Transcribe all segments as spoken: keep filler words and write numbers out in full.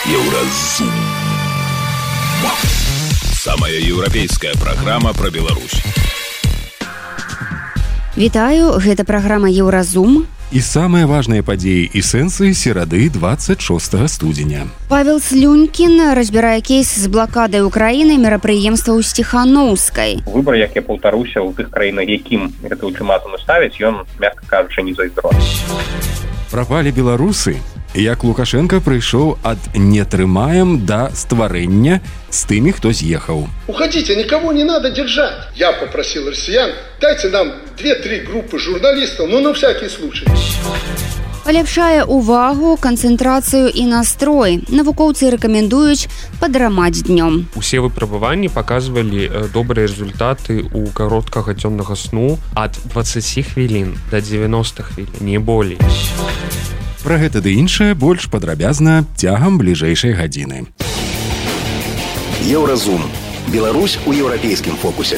Еўразум. Самая еўрапейская праграма пра Беларусь. Вітаю, гэта праграма Еўразум. І самыя важныя падзеі і сэнсы серады двадцать шостага студзеня. Павел Слюнькін разбірае кейс з блакадай Украіны мерапрыемства ў Сціханоўскай. Выбар, як я паўтаруся, у тых краінах, якім гэты ультыматум ставіць, ён, мякка кажучы, не зайздровы. Прапалі беларусы, як Лукашенко прыйшоў ад «не трымаем» да стварэння з тымі, хто з'ехаў. Уходите, никого не надо держать. Я попросил россиян, дайте нам две-три группы журналистов, ну на всякий случай. Паляпшае увагу, канцэнтрацыю і настрой. Навукоўцы рэкамендуюць падрамаць днём. Усе выпрабаванні паказвалі добрыя результаты ў кароткага дзённага сну ад дваццаць хвілін да дзевяноста хвілін, не болей. Пра гэта ды іншае больш падрабязна цягам бліжэйшай гадзіны. Еўразум. Беларусь у еўрапейскім фокусе.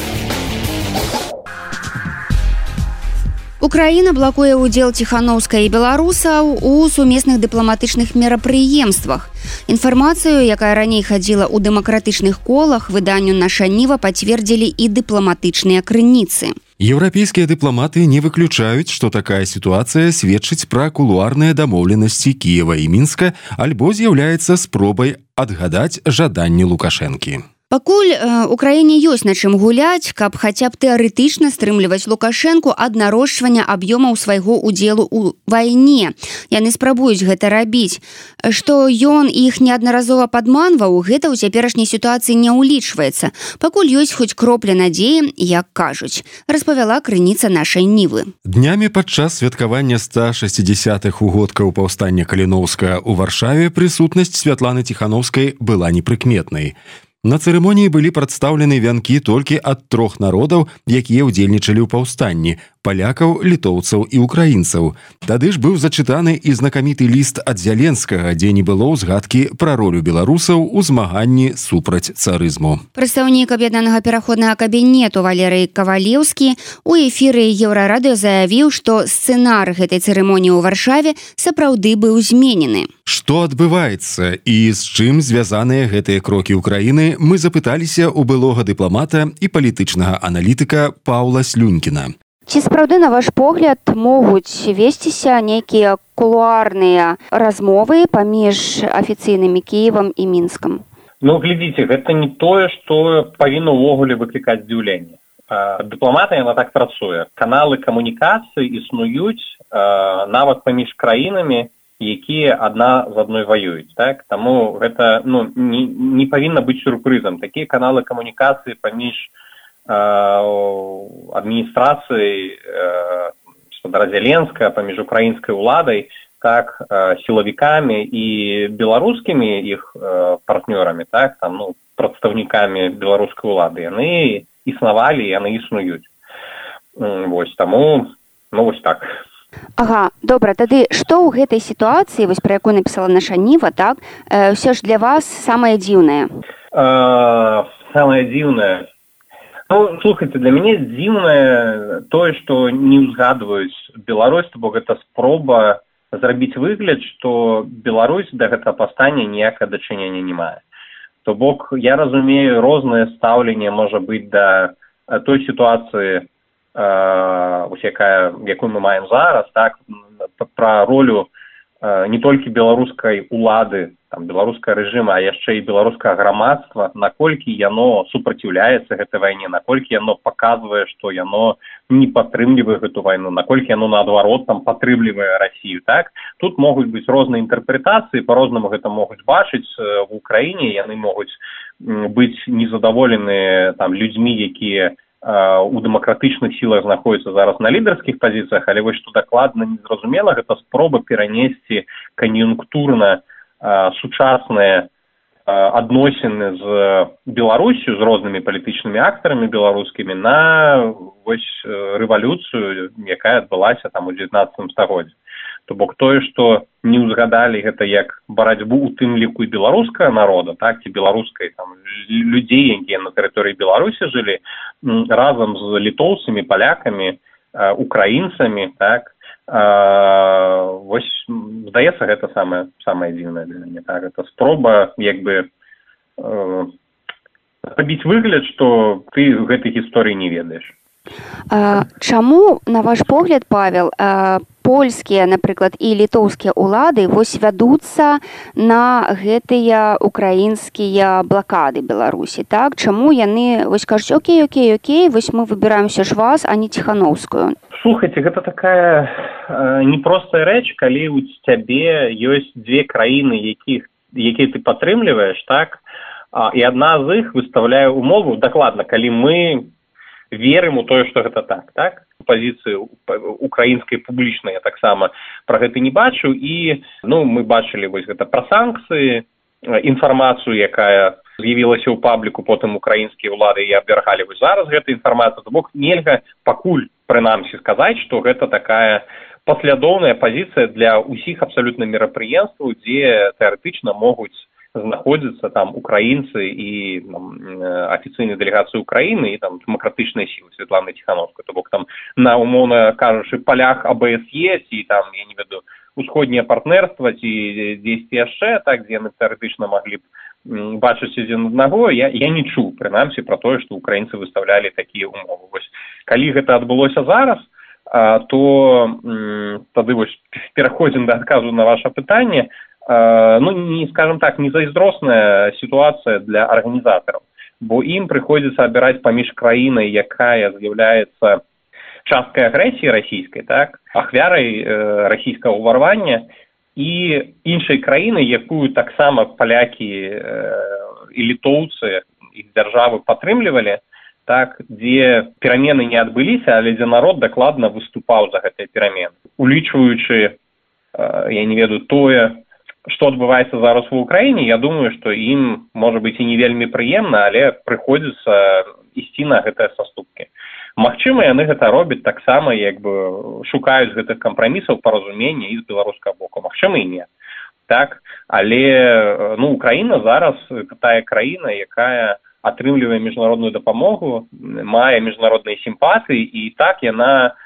Украіна блакуе ўдзел ціханоўскай і беларусаў у сумесных дыпламатычных мерапрыемствах. Інфармацыю, якая раней хадзіла ў дэмакратычных колах, выданню «Наша Ніва» пацвердзілі і дыпламатычныя крыніцы. Еўрапейскія дыпламаты не выключаюць, што такая сітуацыя сведчыць пра кулуарныя дамоўленасці Кіева і Мінска альбо з'яўляецца спробай адгадаць жаданні Лукашэнкі. Пакуль э, Украіне ёсць на чым гуляць, каб хаця б тэарэтычна стрымліваць Лукашэнку ад нарошчвання аб'ёмаў свайго ўдзелу ў вайне. Яны спрабуюць гэта рабіць. Што ён іх неаднаразова падманваў, гэта ў цяперашняй сітуацыі не ўлічваецца. Пакуль ёсць хоць кропля надзеі, як кажуць, распавяла крыніца нашай Нівы. Днямі падчас святкавання ста шэсцідзясятых угодкаў паўстання Каліноўскага ў Варшаве прысутнасць Святланы Ціханоўскай была непрыкметнай. На цырымоніі былі прадстаўлены вянкі толькі ад трох народаў, якія ўдзельнічалі ў паўстанні – палякаў, літоўцаў і украінцаў. Тады ж быў зачытаны і знакаміты ліст ад Зяленскага, дзе не было ўзгадкі пра ролю беларусаў у змаганні супраць царызму. Прадстаўнік аб'яднанага пераходнага кабінету Валерый Кавалеўскі у эфіры Еўрарадыё заявіў, што сцэнар гэтай цырымоніі ў Варшаве сапраўды быў зменены. Што адбываецца і з чым звязаныя гэтыя крокі Украіны, мы запыталіся ў былога дыпламата і палітычнага аналітыка Паўла Слюнькіна. Ці сапраўды, на ваш погляд, могуць весціся нейкія кулуарныя размовы паміж афіцыйнымі Кіевам і Мінскам? Ну, глядзіце, гэта не тое, што павінна ўвогуле выклікаць здзіўленне. Дыпламатыя, яна так працуе. Каналы камунікацыі існуюць нават паміж краінамі, якія адна з адной ваююць. Так? Таму гэта ну, не, не павінна быць сюрпрызам. Такія каналы камунікацыі паміж адміністрацыяй гаспадара Зяленскага, паміж украінскай уладай, так, сілавікамі і беларускімі іх партнёрамі, так, там, ну, прадстаўнікамі беларускай улады, яны існавалі, яны існуюць. Вось, таму, ну, вось так. Ага, добра, тады што ў гэтай сітуацыі, вось пра якую напісала наша Ніва, так, э, ўсё ж для вас самае дзіўнае? Э, самае дзіўнае? Ну, слухайце, для мяне дзіўнае тое, што не ўзгадваюць Беларусь, бо гэта спроба зрабіць выгляд, што Беларусь да гэтага паўстання ніякае дачынення не мае. То бок, я разумею, рознае стаўленне можа быць да той сітуацыі, ось якая, якую мы маем зараз, так, пра ролю не толькі беларускай улады, там, беларускага рэжыма, а яшчэ і беларускага грамадства, наколькі яно супраціўляецца гэтай вайне, наколькі яно паказвае, што яно не падтрымлівае гэту вайну, наколькі яно, наадварот, там, падтрымлівае Расію, так? Тут могуць быць розныя інтэрпрэтацыі, па-рознаму гэта могуць бачыць в Украіне, яны могуць быць незадаволены там людзьмі, якія у дэмакратычных сілах знаходзяцца зараз на лідарскіх пазіцыях, але вось што дакладна незразумела, гэта спроба перанесці кан'юнктурна сучасныя адносіны з Беларусю, з рознымі палітычнымі актарамі беларускімі на вось рэвалюцыю, якая адбылася там у дзевятнаццатым стагоддзі. То бок тое, што не ўзгадалі гэта як барацьбу у тым ліку і беларускага народа, так, ці беларускай там людзей, якія на тэрыторыі Беларусі жылі, разам з літоўцамі, палякамі, украінцамі, так, Вось, здаецца, гэта самае самае дзіўнае для мяне. Так, гэта спроба як бы рабіць выгляд, што ты гэтай гісторыі не ведаеш. А, чаму, на ваш погляд, Павел, а, польскія, напрыклад, і літоўскія ўлады вось вядуцца на гэтыя украінскія блакады Беларусі, так? Чаму яны вось кажуць, окей, окей, окей, вось мы выбіраем ўсё ж вас, а не Ціхановскую? Слухайце, гэта такая э, непростая рэч, калі у цябе ёсць дзве краіны, якіх, якія ты падтрымліваеш, так? А, і адна з іх выстаўляе умову, дакладна, калі мы верым у тое, што гэта так, так? Пазіцыі украінскай публічнай я таксама пра гэта не бачу, і ну, мы бачылі вось гэта пра санкцыі, інфармацыю, якая з'явілася ў пабліку, потым украінскія ўлады і абвяргалі вось зараз гэта інфармацыя, то бок нельга пакуль прынамсі сказаць, што гэта такая паслядоўная пазіцыя для ўсіх абсалютна мерапрыемстваў, дзе тэарэтычна могуць знаходзяцца там украінцы і там, афіцыйнай дэлегацыі Украіны і там дэмакратычныя сілы Святланы Ціхановскай. То бок там на умоўна кажучы палях А Б С Е ці там, я не ведаю, усходняе партнерства ці дзесьці яшчэ, так, дзе яны тэарэтычна маглі б бачыць адзін аднаго, я, я не чуў, прынамсі, пра тое, што украінцы выстаўлялі такія умовы. Вось, калі гэта адбылося зараз, то м, тады вось пераходзім да адказу на ваша пытанне. Ну, не, скажем так, не зайздросная ситуация для организаторов, бо им приходится обирать поміж краиной, якая з'является часткой агрессии российской, так, ахвярой э, российского уварвання, и іншай краиной, якую так само поляки э, и литовцы, их державы падтрымлівалі, так, где перамены не адбыліся, але дзе народ дакладна выступаў за гэтыя перамены, улічваючы, э, я не ведаю, тое, што адбываецца зараз ва ўкраіне, я думаю, што ім, можа быць, і не вельмі прыемна, але прыходзіцца ісці на гэтыя саступкі. Магчыма, яны гэта робяць таксама, як бы шукаюць гэтых кампрамісаў паразумення і з беларускага боку. Магчыма, і не. Так? Але ну, Украіна зараз тая краіна, якая атрымлівае міжнародную дапамогу, мае міжнародныя сімпатыі, і так яна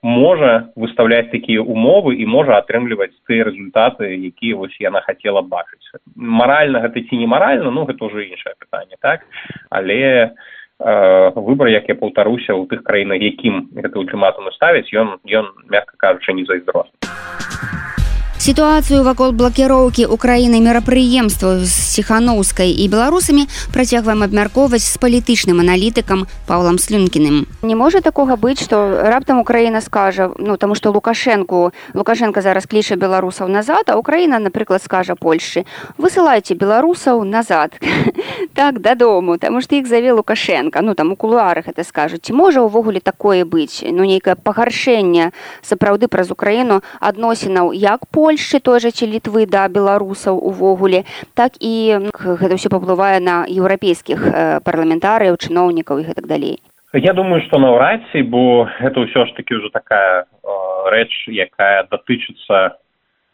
можа выставляць такія умовы і можа атрымліваць тыя рэзультаты, якія вось яна хацела бачыць. Маральна гэта ці не маральна, ну гэта ўжо іншае пытанне, так? Але э, выбар, як я паўтаруся, у тых краінах, якім гэты ультыматум ставяць, ён, ён, мякка кажучы, не зайздросны. Сітуацыю вакол блакіроўкі Украіны мерапрыемстваў з Ціхановскай і беларусамі працягваем абмяркоўваць з палітычным аналітыкам Паўлам Слюнкіным. Не можа такога быць, што раптам Украіна скажа, ну, таму што Лукашэнку, Лукашенко зараз кліча беларусаў назад, а Украіна, напрыклад, скажа Польшчы: высылайце беларусаў назад, так, дадому, таму што іх заве Лукашенко, ну, там у кулуарах это скажуць. Ці можа ўвогуле такое быць, ну, нейкае пагаршэнне сапраўды праз Украіну адносінаў як Польшчы, Польшчы, той жа ці Літвы да беларусаў увогуле, так і гэта ўсё паўплывае на еўрапейскіх парламентарыяў, чыноўнікаў і гэтак далей. Я думаю, што наўрад ці, бо гэта ўсё ж такі ўжо такая э, рэч, якая датычыцца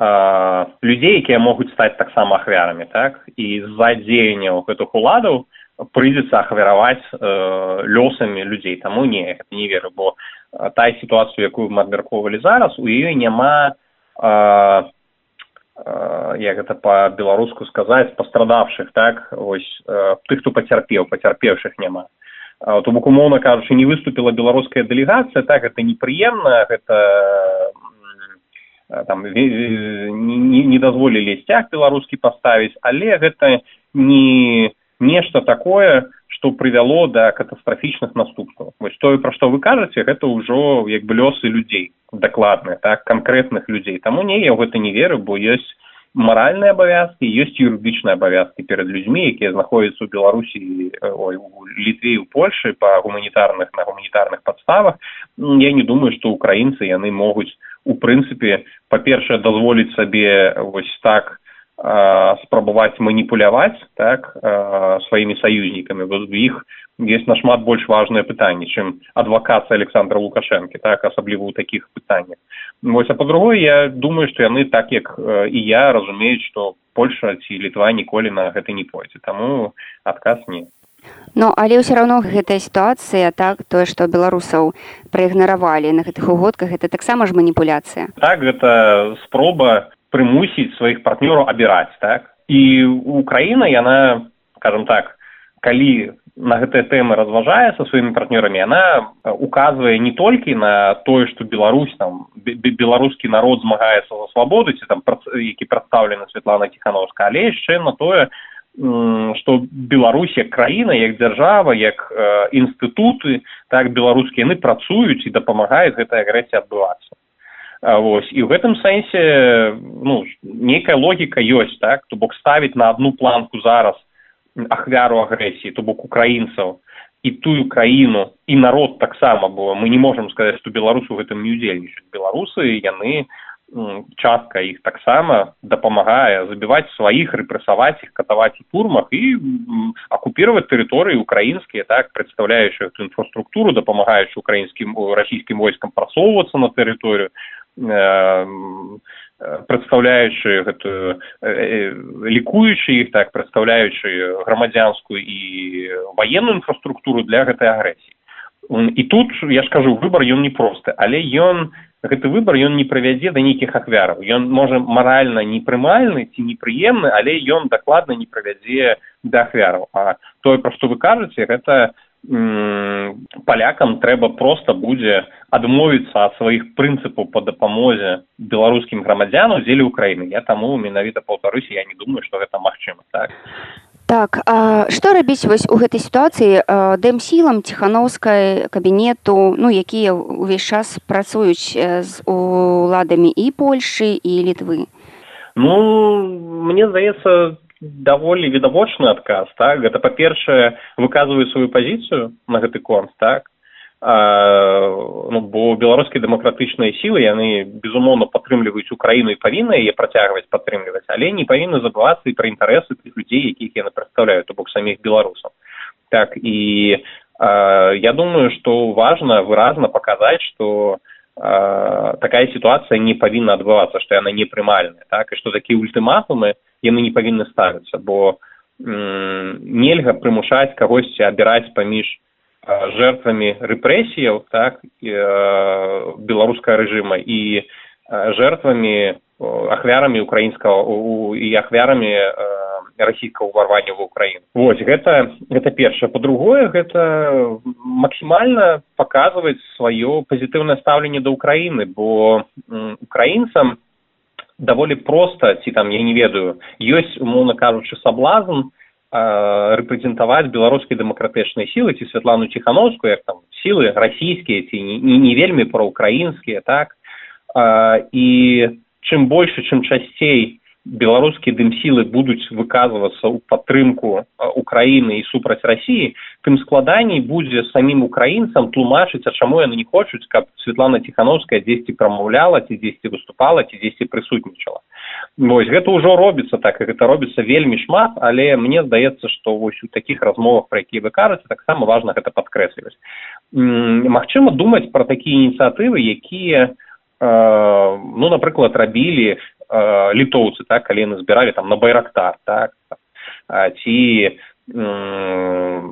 э, людзей, якія могуць стаць таксама ахвярамі, так? І з-за дзеянняў гэтых уладаў прыйдзецца ахвяраваць э, лёсамі людзей. Таму не, гэта не веру, бо э, тая сітуацыя, якую мы абмяркоўвалі зараз, у ёй няма А, а, як гэта па-беларуску сказаць, пастрадавшых, так, ось, а, тых, хто пацярпеў, пацярпеўшых няма. А, то бок, умоўна кажучы, не выступіла беларуская дэлегацыя, так, гэта непрыемна, гэта там не, не дазволілі сцяг беларускі паставіць, але гэта не нешта такое, што прывяло да катастрафічных наступстваў. Вось тое, пра што вы кажаце, гэта ўжо як бы лёсы людзей, дакладныя, так, канкрэтных людзей. Таму не, я ў гэта не веру, бо ёсць маральныя абавязкі, ёсць юрыдычныя абавязкі перад людзьмі, якія знаходзяцца ў Беларусі, ой, у Літве і ў Польшы па гуманітарных, на гуманітарных падставах. Я не думаю, што украінцы яны могуць, у прынцыпе, па-першае, дазволіць сабе вось так спрабаваць маніпуляваць, так, сваімі саюзнікамі. У іх ёсць нашмат больш важнае пытанне, чым адвакацыя Александра Лукашэнкі, так, асабліва ў такіх пытаннях. Вось, а па-другое, я думаю, што яны, так як і я, разумеюць, што Польша ці Літва ніколі на гэта не пойдзе. Таму адказ не. Ну, але ўсё равно гэтая сітуацыя, так, тое, што беларусаў праігнаравалі на гэтых угодках, гэта таксама ж маніпуляцыя. Так, гэта спроба прымусіць сваіх партнёраў абіраць, так? І Украіна, яна, скажем так, калі на гэтыя тэмы разважае са сваімі партнёрамі, яна указвае не толькі на тое, што Беларусь, там, беларускі народ змагаецца за свабоду, ці там, які прадстаўлены Святлана Ціхановская, але яшчэ на тое, што Беларусь як краіна, як дзяржава, як э, інстытуты, так, беларускія, яны працуюць і дапамагаюць гэтай агрэсіі адбывацца. А, вось. І ў гэтым сэнсе, ну, нейкая логіка ёсць, так, то бок ставіць на адну планку зараз ахвяру агрэсіі, то бок украінцаў, і тую краіну, і народ таксама, бо мы не можам сказаць, што беларусы ў гэтым не ўдзельнічаюць. Беларусы, яны частка іх таксама дапамагае забіваць сваіх, рэпрэсаваць іх, катаваць у турмах і акупіраваць тэрыторыі украінскія, так, прадстаўляючы эту інфраструктуру, дапамагаючы украінскім расійскім войскам прасоўвацца на тэрыторыю, прадстаўляючы гэтую, лікуючы іх, так, прадстаўляючы грамадзянскую і ваенную інфраструктуру для гэтай агрэсіі. І тут, я ж кажу, выбар ён непросты, але ён гэты выбар ён не прывядзе да нейкіх ахвяраў. Ён можа маральна непрымальны ці непрыемны, але ён дакладна не прывядзе да ахвяраў. А тое, пра што вы кажаце, гэта м- палякам трэба проста будзе адмовіцца ад сваіх прынцыпаў па дапамозе беларускім грамадзянам дзеля Украіны. Я таму менавіта паўтаруся, я не думаю, што гэта магчыма, так. Так, а што рабіць вось у гэтай сітуацыі дэмсілам Ціхановскай кабінету, ну, якія ўвесь час працуюць з уладамі і Польшы, і Літвы? Ну, мне здаецца, даволі відавочны адказ, так? Гэта, па-першае, выказваюць сваю пазіцыю на гэты конт, так? А, ну, бо беларускія дэмакратычныя сілы, яны, безумоўна, падтрымліваюць Украіну і павінны яе працягваць падтрымліваць, але не павінны забывацца і пра інтарэсы тых людзей, якіх яны прадстаўляюць, то бок саміх беларусаў. Так, і а, я думаю, што важна выразна паказаць, што а, такая сітуацыя не павінна адбывацца, што яна непрымальная, так, і што такія ультыматумы яны не павінны ставіцца, бо м- нельга прымушаць кагосьці абіраць паміж жертвамі рэпрэсіяў, так, беларускага рэжыма і жертвамі, ахвярамі украінскага і ахвярамі расійскага ўварвання ва ўкраіну. Вось, гэта, гэта першае. Па-другое, гэта максімальна паказваць сваё пазітыўнае стаўленне да Украіны, бо украінцам даволі проста, ці там, я не ведаю, ёсць, умоўна кажучы, саблазн рэпрэзентаваць беларускія дэмакратычныя сілы, ці Святлану Ціхановскую, як там сілы расійскія, ці не, не вельмі праўкраінскія, так? А, і чым больш, чым часцей беларускія дэмсілы будуць выказвацца ў падтрымку Украіны і супраць Расіі, тым складаней будзе самім украінцам тлумачыць, а чаму яны не хочуць, каб Святлана Ціхановская дзесьці прамаўляла, ці дзесьці выступала, ці дзесьці прысутнічала. Вось, гэта ўжо робіцца так, і гэта робіцца вельмі шмат, але мне здаецца, што вось у такіх размовах, пра якія вы кажаце, таксама важна гэта падкрэсліваць. Магчыма думаць пра такія ініцыятывы, якія, э, ну, напрыклад, рабілі э, літоўцы, так, калі яны збіралі там на Байрактар, так, ці э,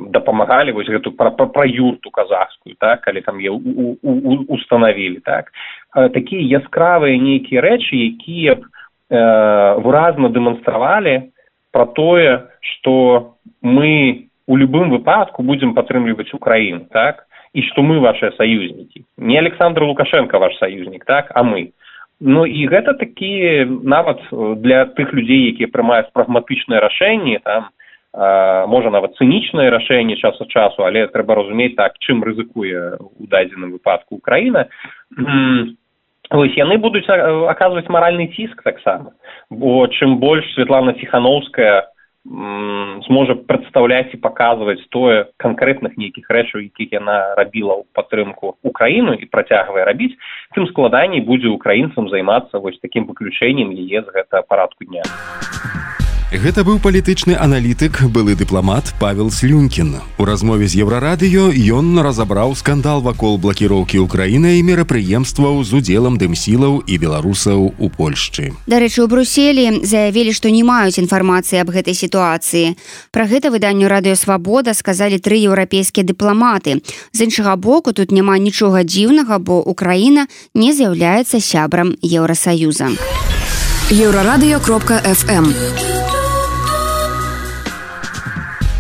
дапамагалі вось гэту пра, пра, пра юрту казахскую, так, калі там яе устанавілі, так. Э, такія яскравыя нейкія рэчы, якія б выразна дэманстравалі пра тое, што мы у любым выпадку будзем падтрымліваць Украіну, так, і што мы вашыя саюзнікі. Не Александр Лукашенко ваш саюзнік, так, а мы. Ну і гэта такі нават для тых людзей, якія прымаюць прагматычныя рашэнні, там, а, можа нават цынічныя рашэнні час ад часу, але трэба разумець так, чым рызыкуе у дадзеным выпадку Украіна. Вось, яны будуць аказваць маральны ціск таксама, бо чым больш Святлана Ціхановская м, зможа прадстаўляць і паказваць тое канкрэтных нейкіх рэчаў, якіх яна рабіла ў падтрымку Украіну і працягвае рабіць, тым складаней будзе украінцам займацца вось такім выключэннем яе з гэтага парадку дня. Гэта быў палітычны аналітык, былы дыпламат Павел Слюнькін. У размове з Еўрарадыё ён разабраў скандал вакол блакіроўкі Украіны і мерапрыемстваў з удзелам дымсілаў і беларусаў у Польшчы. Дарэчы, у Брюсселі заявілі, што не маюць інфармацыі аб гэтай сітуацыі. Пра гэта выданню «Радыё Свабода» сказалі тры еўрапейскія дыпламаты. З іншага боку, тут няма нічога дзіўнага, бо Украіна не з'яўляецца сябрам Еўрасаюза. еўрарадыё кропка эф эм.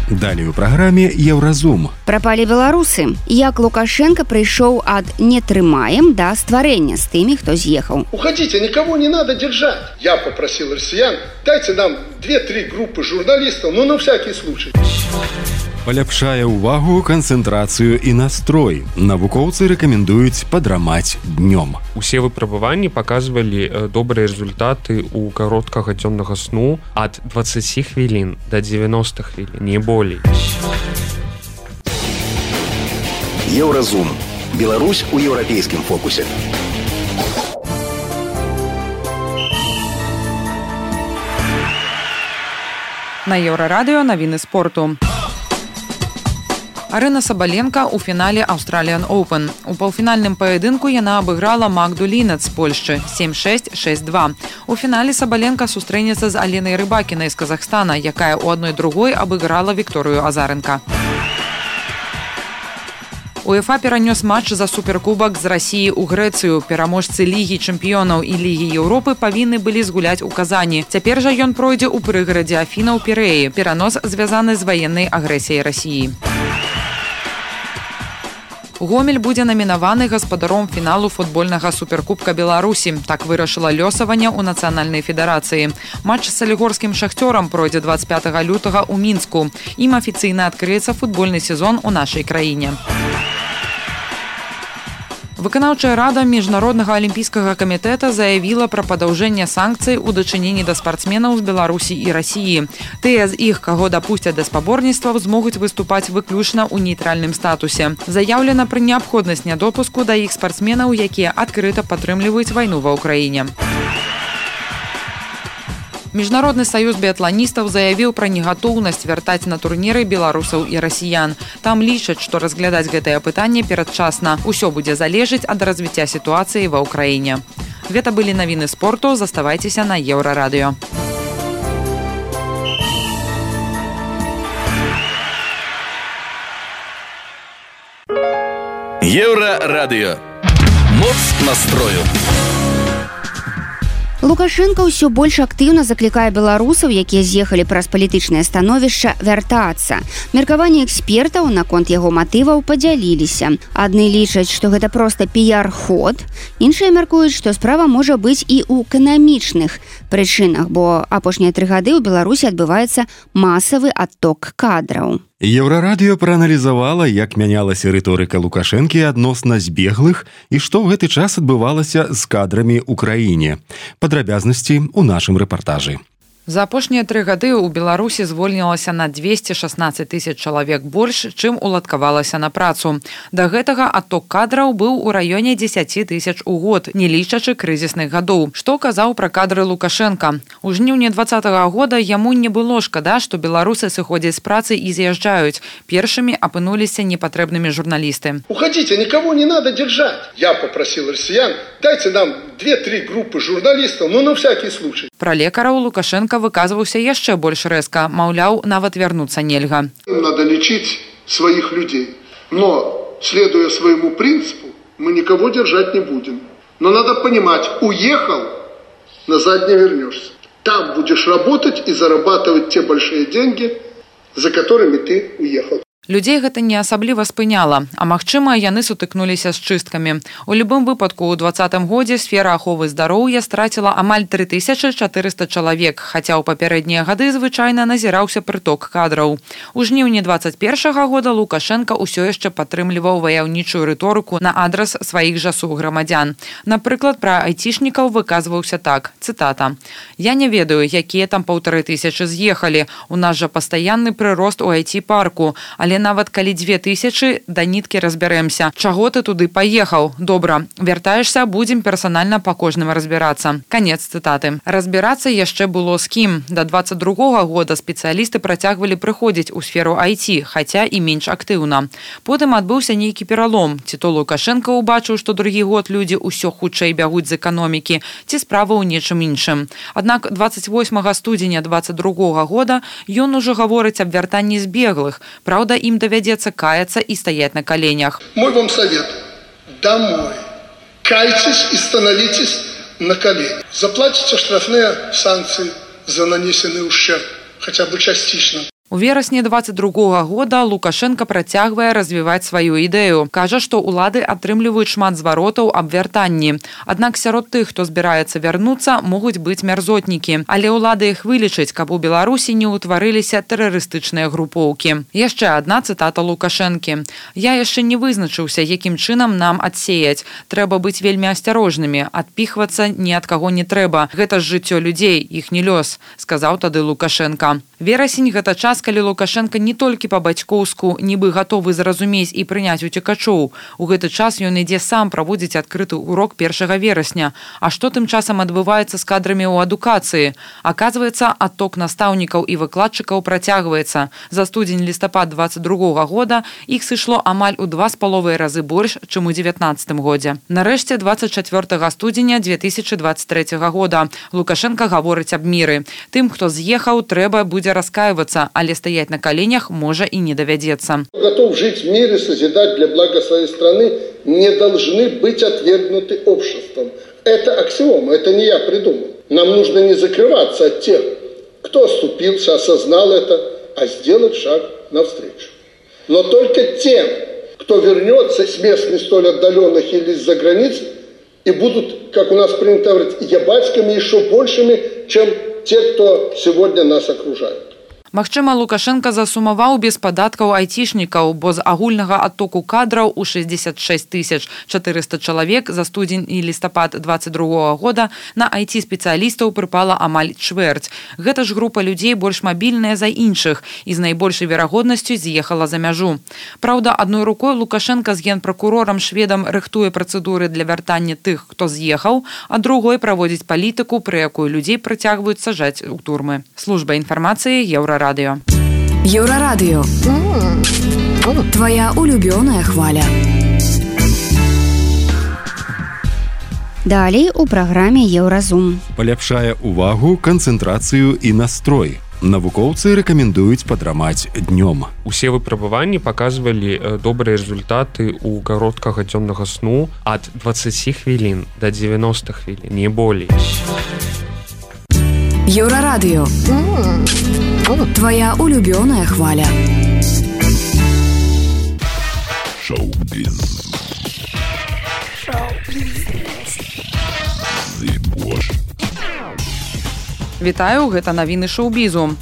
Далей у праграме «Еўразум». Прапалі беларусы. Як Лукашенко прыйшоў ад «не трымаем» да стварэння з тымі, хто з'ехаў. Уходите, никого не надо держать. Я попросил россиян, дайте нам две-три группы журналистов, ну на всякий случай. Паляпшае ўвагу, канцэнтрацыю і настрой. Навукоўцы рэкамендуюць падрамаць днём. Усе выпрабаванні паказвалі добрыя результаты ў кароткага дзённага сну ад дваццаці хвілін да дзевяноста хвілін, не болей. Еўразум. Беларусь у еўрапейскім фокусе. На Еўрарадыё навіны спорту. Арына Сабаленка ў фінале Australian Open. У паўфінальным паядынку яна абыграла Магду Лінец з Польшчы сем шэсць шэсць два. У фінале Сабаленка сустрэнецца з Аленай Рыбакінай з Казахстана, якая ў адной другой абыграла Вікторыю Азарэнка. УЕФА перанёс матч за суперкубак з Расіі ў Грэцыю. Пераможцы Лігі чэмпіёнаў і Лігі Еўропы павінны былі згуляць у Казані. Цяпер жа ён пройдзе ў прыгарадзе Афіна ў Пірэі. Перанос звязаны з ваеннай агрэсіяй Расіі. Гомель будзе намінаваны гаспадаром фіналу футбольнага суперкубка Беларусі. Так вырашыла лёсаванне ў нацыянальнай федэрацыі. Матч з салігорскім шахцёрам пройдзе дваццаць пятага лютага ў Мінску. Ім афіцыйна адкрыецца футбольны сезон у нашай краіне. Выканаўчая рада Міжнароднага алімпійскага камітэта заявіла пра падаўжэнне санкцый у дачыненні да спартсменаў з Беларусі і Расіі. Тыя з іх, каго дапусцяць да спаборніцтваў, змогуць выступаць выключна ў нейтральным статусе. Заяўлена пра неабходнасць нядопуску да іх спартсменаў, якія адкрыта падтрымліваюць вайну ва ўкраіне. Міжнародны саюз біятланістаў заявіў пра негатоўнасць вяртаць на турніры беларусаў і расіян. Там лічаць, што разглядаць гэтае пытанне перадчасна. Усё будзе залежыць ад развіцця сітуацыі ва ўкраіне. Гэта былі навіны спорту. Заставайцеся на Еўрарадыё. Еўрарадыё. Моц настрою. Лукашенко ўсё больш актыўна заклікае беларусаў, якія з'ехалі праз палітычнае становішча, вяртацца. Меркаванні экспертаў наконт яго матываў падзяліліся. Адны лічаць, што гэта проста піяр-ход, іншыя мяркуюць, што справа можа быць і ў эканамічных прычынах, бо апошнія тры гады ў Беларусі адбываецца масавы адток кадраў. Еўрарадыё прааналізавала, як мянялася рыторыка Лукашэнкі адносна збеглых і што ў гэты час адбывалася з кадрамі ў краіне. Падрабязнасці ў нашым рэпартажы. За апошнія тры гады ў Беларусі звольнілася на дзвесце шаснаццаць тысяч чалавек больш, чым уладкавалася на працу. Да гэтага адток кадраў быў у раёне дзесяць тысяч у год, не лічачы крызісных гадоў. Што казаў пра кадры Лукашенка? У жніўні дваццатага года яму не было шкада, што беларусы сыходзяць з працы і з'язджаюць. Першымі апынуліся непатрэбнымі журналісты. Уходите, никого не надо держать. Я попросил россиян, дайте нам две-три группы журналистов, ну на всякий случай. Пра лекараў Лукашенка выказваўся яшчэ больш рэзка, маўляў, нават вярнуцца нельга. Надо лечить своих людей, но, следуя своему принципу, мы никого держать не будем. Но надо понимать, уехал, назад не вернешься. Там будешь работать и зарабатывать те большие деньги, за которыми ты уехал. Людзей гэта не асабліва спыняла, а магчыма, яны сутыкнуліся з чысткамі. У любым выпадку, у дваццатым годзе сфера аховы здароўя страціла амаль тры тысячы чатырыста чалавек, хаця ў папярэднія гады звычайна назіраўся прыток кадраў. У жніўні дваццаць першага года Лукашенка ўсё яшчэ падтрымліваў ваяўнічую рыторыку на адрас сваіх жа суграмадзян. Напрыклад, пра айцішнікаў выказваўся так, цытата: «Я не ведаю, якія там паўтары тысячы з'ехалі. У нас жа пастаянны прырост у ай ти-парку, але Але нават калі дзве тысячы, да ніткі разбярэмся. Чаго ты туды паехаў? Добра, вяртаешся, будзем персанальна па кожным разбірацца. Канец цытаты. Разбірацца яшчэ было з кім. Да дваццаць другога года спецыялісты працягвалі прыходзіць у сферу ай ти, хаця і менш актыўна. Потым адбыўся нейкі пералом. Ці то Лукашенко убачыў, што другі год людзі ўсё хутчэй бягуць з эканомікі, ці справа ў нечым іншым. Аднак дваццаць восьмага студзеня дваццаць другога года ён ужо гаворыць аб вяртанні збеглых. Праўда, ім давядзецца каяцца і стаяць на коленях. Мой вам совет. Домой. Кайтесь и становитесь на колени. Заплатите штрафные санкции за нанесенный ущерб, хотя бы частично. У верасні дваццаць другога года Лукашенко працягвае развіваць сваю ідэю. Кажа, што ўлады атрымліваюць шмат зваротаў аб вяртанні. Аднак сярод тых, хто збіраецца вярнуцца, могуць быць мярзотнікі. Але ўлады іх вылічаць, каб у Беларусі не ўтварыліся тэрарыстычныя групоўкі. Яшчэ адна цытата Лукашэнкі. «Я яшчэ не вызначыўся, якім чынам нам адсеяць. Трэба быць вельмі асцярожнымі. Адпіхвацца ні ад каго не трэба. Гэта ж жыццё людзей, іх не лёс», сказаў тады Лукашенко. Верасень – гэта час, калі Лукашенко не толькі па-бацькоўску нібы гатовы зразумець і прыняць уцекачоў. У гэты час ён ідзе сам праводзіць адкрыты урок першага верасня. А што тым часам адбываецца з кадрамі ў адукацыі? Аказваецца, адток настаўнікаў і выкладчыкаў працягваецца. За студзень-лістапад дваццаць другога года іх сышло амаль у два з паловай разы больш, чым у дзевятнаццатым годзе. Нарэшце, дваццаць чацвёртага студзеня две тысячы дваццаць трэцяга года Лукашенко гаворыць аб міры. Тым, хто з'ехаў, трэба будзе раскаиваться, але стоять на коленях можа и не доведется. Готов жить в мире, созидать для блага своей страны, не должны быть отвергнуты обществом. Это аксиома, это не я придумал. Нам нужно не закрываться от тех, кто оступился, осознал это, а сделать шаг навстречу. Но только тем, кто вернется с мест не столь отдаленных или из-за границ, и будут, как у нас принято говорить, ябацкими еще большими, чем те, кто сегодня нас окружает. Магчыма, Лукашенко засумаваў без падаткаў айцішнікаў, бо з агульнага адтоку кадраў у шэсцьдзесят шэсць тысяч чатырыста чалавек за студзень і лістапад дваццаць другога года на ай ти-спецыялістаў прыпала амаль чвэрць. Гэта ж група людзей больш мабільная за іншых і з найбольшай верагоднасцю з'ехала за мяжу. Праўда, адной рукой Лукашенко з генпракурорам шведам рыхтуе працэдуры для вяртання тых, хто з'ехаў, а другой праводзіць палітыку, пры якой людзей працягваюць сажаць у турмы. Служба інфармацыі Еўрарадыё. Еўрарадыё. Твоя улюбёная хваля. Далей у праграме Еўразум. Паляпшае увагу, канцэнтрацыю і настрой. Навукоўцы рэкамендуюць падрамаць днём. Усе выпрабаванні паказвалі добрыя результаты ў кароткага дзённага сну ад дваццаці хвілін да дзевяноста хвілін, не болей. Еўрарадыё. Твоя улюбёная хваля. Шоу-біз. Вітаю, гэта навіны шоу-бізу.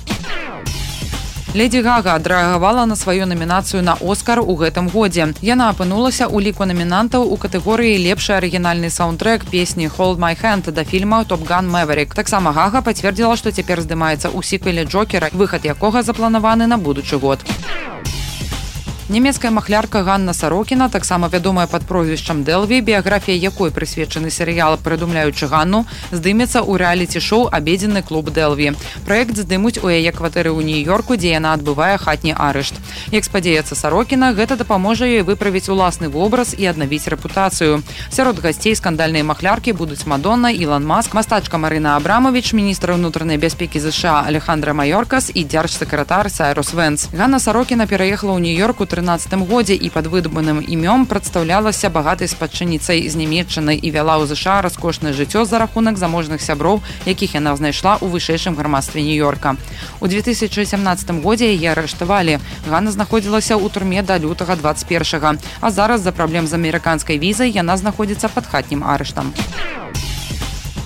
Леді Гага адрэагавала на сваю намінацыю на Оскар у гэтым годзе. Яна апынулася ў ліку намінантаў у катэгорыі «Лепшы арыгінальны саундтрэк» песні «Hold My Hand» да фільма «Top Gun Maverick». Таксама Гага пацвердзіла, што цяпер здымаецца ў сіквеле «Джокера», выхад якога запланаваны на будучы год. Нямецкая махлярка Ганна Сарокіна, таксама вядомая пад прозвішчам Дэлві, біяграфія якой прысвечаны серыял «Прыдумляючы Ганну», здымецца ў рэаліці-шоу «Абедзенны клуб Дэлві». Праект здымуць у яе кватэры ў Нью-Йорку, дзе яна адбывае хатні арышт. Як спадзяецца Сарокіна, гэта дапаможа ёй выправіць уласны вобраз і аднавіць рэпутацыю. Сярод гасцей скандальныя махляркі будуць Мадонна, Ілон Маск, мастачка Марына Абрамавіч, міністр унутранай бяспекі ЗША Алехандра Майоркас і дзяржсакратар Сайрус Вэнс. Ганна Сарокіна пераехала ў Нью-Йорк у трынаццатым годзе і пад выдуманым імём прадстаўлялася багатай спадчыніцай з Нямецчыны і вяла ў ЗША раскошнае жыццё за рахунак заможных сяброў, якіх яна знайшла ў вышэйшым грамадстве Нью-Йорка. У две тысячы сямнаццатым годзе яе арыштавалі. Ганна знаходзілася ў турме да лютага дваццаць першага, а зараз з-за праблем з амерыканскай візай яна знаходзіцца пад хатнім арыштам.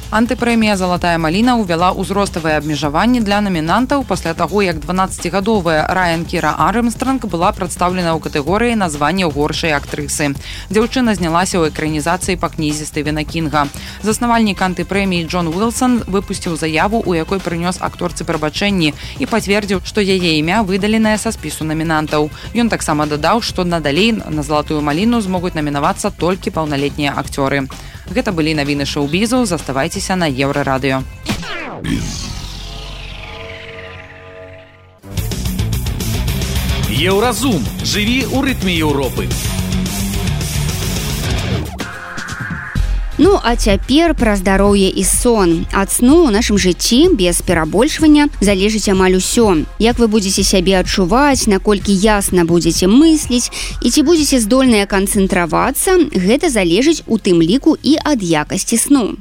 Антыпрэмія «Залатая маліна» ўвяла ўзроставыя абмежаванні для намінантаў пасля таго, як дванаццацігадовая Райан Кіра Армстронг была прадстаўлена ў катэгорыі названня горшай актрысы. Дзяўчына знялася ў экранізацыі па кнізе Стывена Кінга. Заснавальнік антыпрэміі Джон Уилсон выпусціў заяву, у якой прынёс акторцы прабачэнні і пацвердзіў, што яе імя выдаленае са спісу намінантаў. Ён таксама дадаў, што надалей на «Залатую маліну» змогуць намінавацца толькі паўналетнія акцёры. Гэта былі навіны шоу-бізу. Заставайцеся на Еўрарадыё. Еўразум. Жыві ў рытме Еўропы. Ну, а цяпер пра здароўе і сон. Ад сну ў нашым жыцці без перабольшвання залежыць амаль усё. Як вы будзеце сябе адчуваць, наколькі ясна будзеце мысліць і ці будзеце здольныя канцэнтравацца, гэта залежыць у тым ліку і ад якасці сну.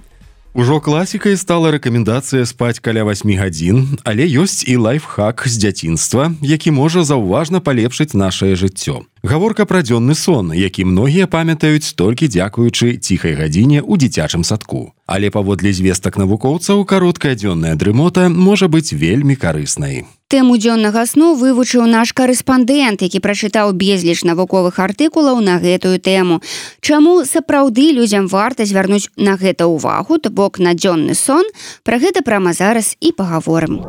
Ужо класікай стала рэкамендацыя спаць каля васьмі гадзін, але ёсць і лайфхак з дзяцінства, які можа заўважна палепшыць нашае жыццё. Гаворка пра дзённы сон, які многія памятаюць толькі дзякуючы ціхай гадзіне ў дзіцячым садку. Але паводле звестак навукоўцаў, кароткая дзённая дрымота можа быць вельмі карыснай. Тэму дзённага сну вывучыў наш карэспандэнт, які прачытаў безліч навуковых артыкулаў на гэтую тэму. Чаму сапраўды людзям варта звярнуць на гэта ўвагу, то бок на дзённы сон, пра гэта прама зараз і пагаворым.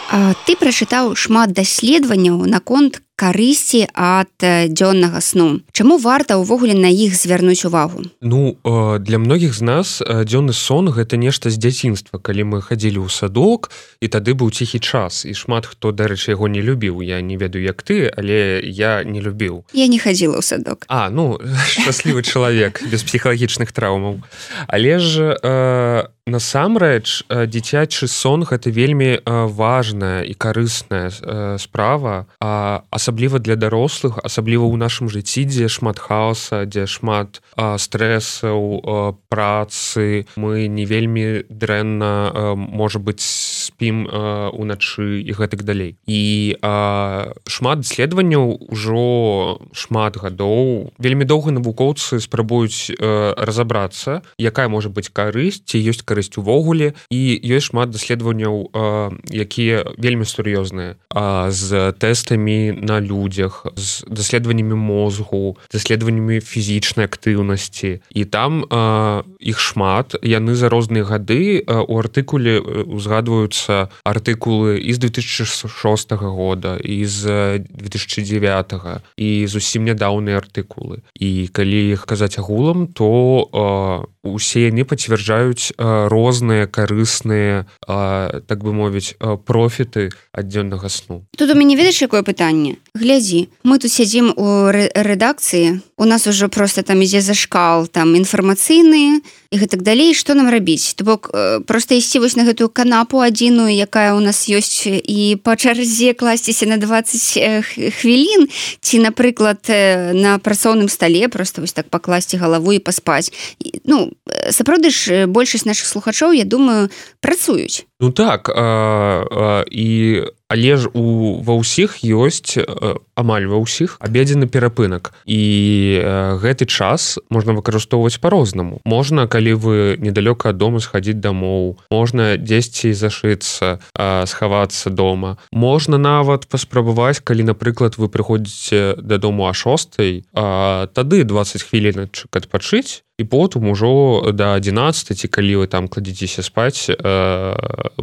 А ты прачытаў шмат даследаванняў наконт карысці ад дзённага сну. Чаму варта ўвогуле на іх звярнуць увагу? Ну, для многіх з нас дзённы сон гэта нешта з дзяцінства, калі мы хадзілі ў садок, і тады быў ціхі час, і шмат хто, дарэчы, яго не любіў. Я не ведаю, як ты, але я не любіў. Я не хадзіла ў садок. А, ну, шчаслівы чалавек, без псіхалагічных траўмаў. Але ж э, насамрэч дзіцячы сон гэта вельмі важная і карысная э, справа, а асабліва для дарослых, асабліва ў нашым жыцці, дзе шмат хаоса, дзе шмат а, стрэсаў, а, працы, мы не вельмі дрэнна, а, можа быць, спім а, уначы і гэтак далей. І а, шмат даследаванняў ужо шмат гадоў. Вельмі доўга навукоўцы спрабуюць а, разабрацца, якая можа быць карысць, ці ёсць карысць увогуле, і ёсць шмат даследаванняў, а, якія вельмі сур'ёзныя, а, з тэстамі на людзях, з даследаваннямі мозгу, даследаваннямі фізічнай актыўнасці. І там э, іх шмат. Яны за розныя гады. Э, у артыкуле узгадваюцца артыкулы і з две тысячи шостага года, і з две тысячи дзевятага, і зусім нядаўныя артыкулы. І калі іх казаць агулам, то э, усе яны пацвярджаюць э, розныя карысныя, э, так бы мовіць, э, профіты ад дзённага сну. Тут у мяне ведаеш, якое пытанне? Глядзі, мы тут сядзім у рэдакцыі, у нас ужо просто там ідзе зашкал, там інфармацыйны і гэтак далей, што нам рабіць? То бок проста ісці вось на гэтую канапу адзіную, якая ў нас ёсць, і па чарзе класціся на дваццаць хвілін, ці, напрыклад, на працоўным стале просто вось так пакласці галаву і паспаць. Ну, сапраўды ж большасць нашых слухачоў, я думаю, працуюць. Ну так, а, а, і але ж у ва ўсіх ёсць, амаль ва ўсіх, абедзены перапынак. І а, гэты час можна выкарыстоўваць па-рознаму. Можна, калі вы недалёка ад дома, схадзіць дамоў, можна дзесьці зашыцца, а, схавацца дома. Можна нават паспрабаваць, калі, напрыклад, вы прыходзіце дадому а шостай, а, тады дваццаць хвіліначак адпачыць, і потым ужо да адзінаццатай, ці калі вы там кладзіцеся спаць, э,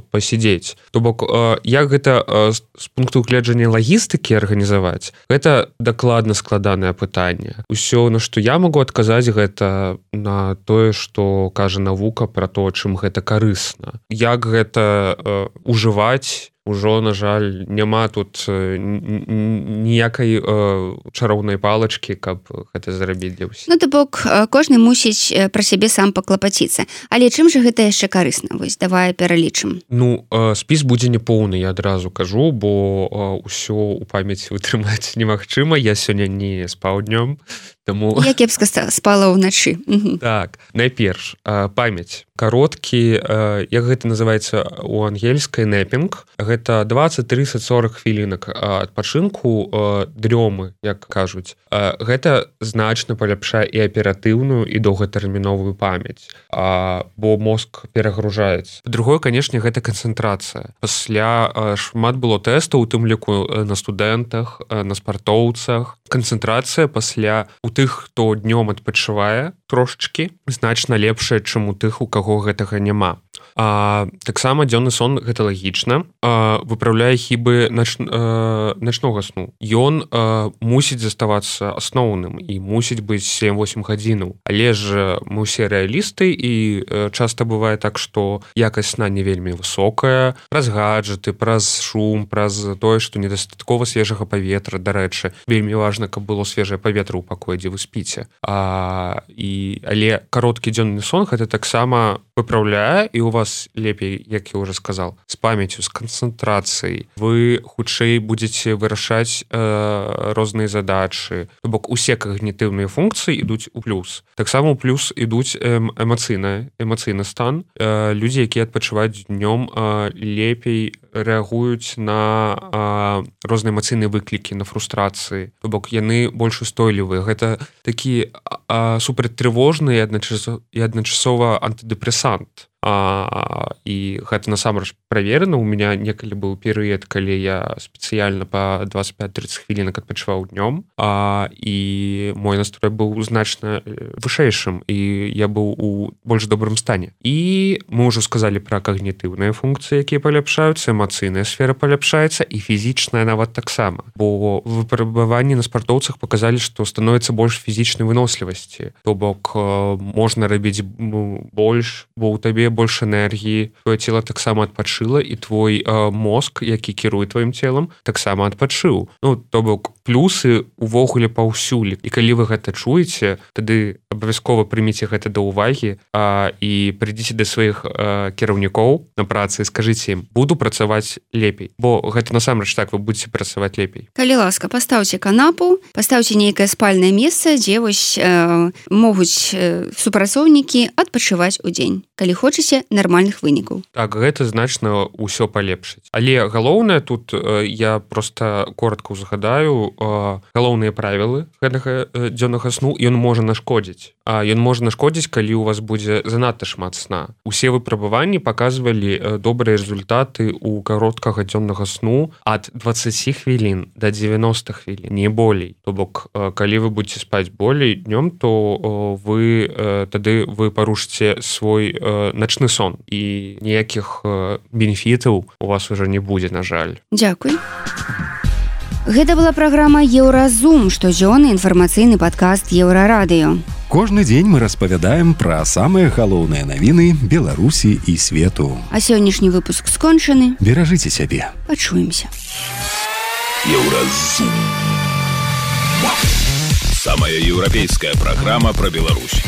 пасядзець. То бок, э, як гэта э, з пункту гледжання лагістыкі арганізаваць, гэта дакладна складанае пытанне. Усё, на што я магу адказаць, гэта на тое, што кажа навука пра то, чым гэта карысна. Як гэта э, ужываць, ужо, на жаль, няма тут ніякай э, чароўнай палачкі, каб гэта зрабіць для ўсіх. Ну, то бок, кожны мусіць пра сябе сам паклапаціцца. Але чым жа гэта яшчэ карысна? Вось, давай пералічым. Ну, э, спіс будзе непоўны, я адразу кажу, бо э, ўсё ў памяці вытрымаць немагчыма. Я сёння не спаў днём, Таму я кепска спала ўначы. Так, найперш памяць кароткі, як гэта называецца у ангельскай нэпінг, гэта двадцать тридцать сорок хвілінак адпачынку, дрёмы, як кажуць. Гэта значна паляпшае і аператыўную і доўгатэрміновую памяць, бо мозг перагружаецца. Другое, канешне, гэта канцэнтрацыя. Пасля шмат было тэстаў, у тым ліку на студэнтах, на спартоўцах. Канцэнтрацыя пасля у тых, хто днём адпачывае трошачкі, значна лепшая, чым у тых, у каго гэтага няма. А, таксама дзённы сон, гэта лагічна, а, выпраўляе хібы нач, а, начнога сну. Ён а, мусіць заставацца асноўным і мусіць быць сем-восемь гадзінаў. Але ж мы ўсе рэалісты і а, часта бывае так, што якасць сна не вельмі высокая, праз гаджеты, праз шум, праз тое, што недастаткова свежага паветра, дарэчы, вельмі важна, каб было свежае паветра ў пакоі, дзе вы спіце. А, і, але кароткі дзённы сон гэта таксама выпраўляе, і у вас лепей, як я уже сказал, з памяццю, з канцэнтрацыяй. Вы хутчэй будзеце вырашаць э, розныя задачы. То бок усе когнітыўныя функцыі ідуць у плюс. Таксама у плюс ідуць эм, эмацыйны, эмацыйны стан. Э, людзі, якія адпачываюць днём, э, лепей рэагуюць на э, розныя эмацыйныя выклікі, на фрустрацыі. То бок яны больш устойлівыя. Гэта такі э, супрацьтрывожны і адначасова, і адначасова антыдэпрэсант. А, і гэта насамрэч праверана. У меня некалі быў перыяд, калі я спецыяльна па двадцать пять тридцать хвілінак адпачываў днём, а, і мой настрой быў значна вышэйшым, і я быў у больш добрым стане. І мы ўжо сказалі пра когнітыўныя функцыі, якія паляпшаюцца, эмацыйная сфера паляпшаецца і фізічная нават таксама. Бо выпрабаванні на спартоўцах паказалі, што становіцца больш фізічнай вынослівасці. То бок можна рабіць больш, бо ў табе больш энергіі, твоё цела таксама адпачыла, і твой э, мозг, які кіруе тваім целам, таксама адпачыў. Ну, то бок плюсы увогуле паўсюль. І калі вы гэта чуеце, тады абавязкова прыміце гэта да ўвагі а, і прыйдзіце да сваіх а, кіраўнікоў на працы і скажыце ім, буду працаваць лепей. Бо гэта насамрэч так, вы будзеце працаваць лепей. Калі ласка, пастаўце канапу, пастаўце нейкае спальнае месца, дзе вось э, могуць э, супрацоўнікі адпачываць у дзень. Калі хочаце нармальных вынікаў. Так, гэта значна ўсё палепшыць. Але галоўнае тут, э, я проста коротко узгадаю, э, галоўныя правілы гэтага э, дзённага сну, ён можа нашкодзіць. А ён можа нашкодзіць, калі у вас будзе занадта шмат сна. Усе выпрабаванні паказвалі э, добрыя результаты ў кароткага дзённага сну ад двадцать хвілін да девяносто хвілін, не болей. То бок, э, калі вы будете спаць болей днём, то э, вы э, тады вы парушыце свой э, начны сон, і ніякіх э, бенефітаў у вас уже не будзе, на жаль. Дзякуй. Гэта была праграма Еўразум, штодзённы інфармацыйны падкаст Еўрарадыё. Кожны дзень мы распавядаем пра самыя галоўныя навіны Беларусі і свету. А сённяшні выпуск скончаны. Беражыце сябе. Пачуемся. Еўразум. Самая еўрапейская праграма пра Беларусь.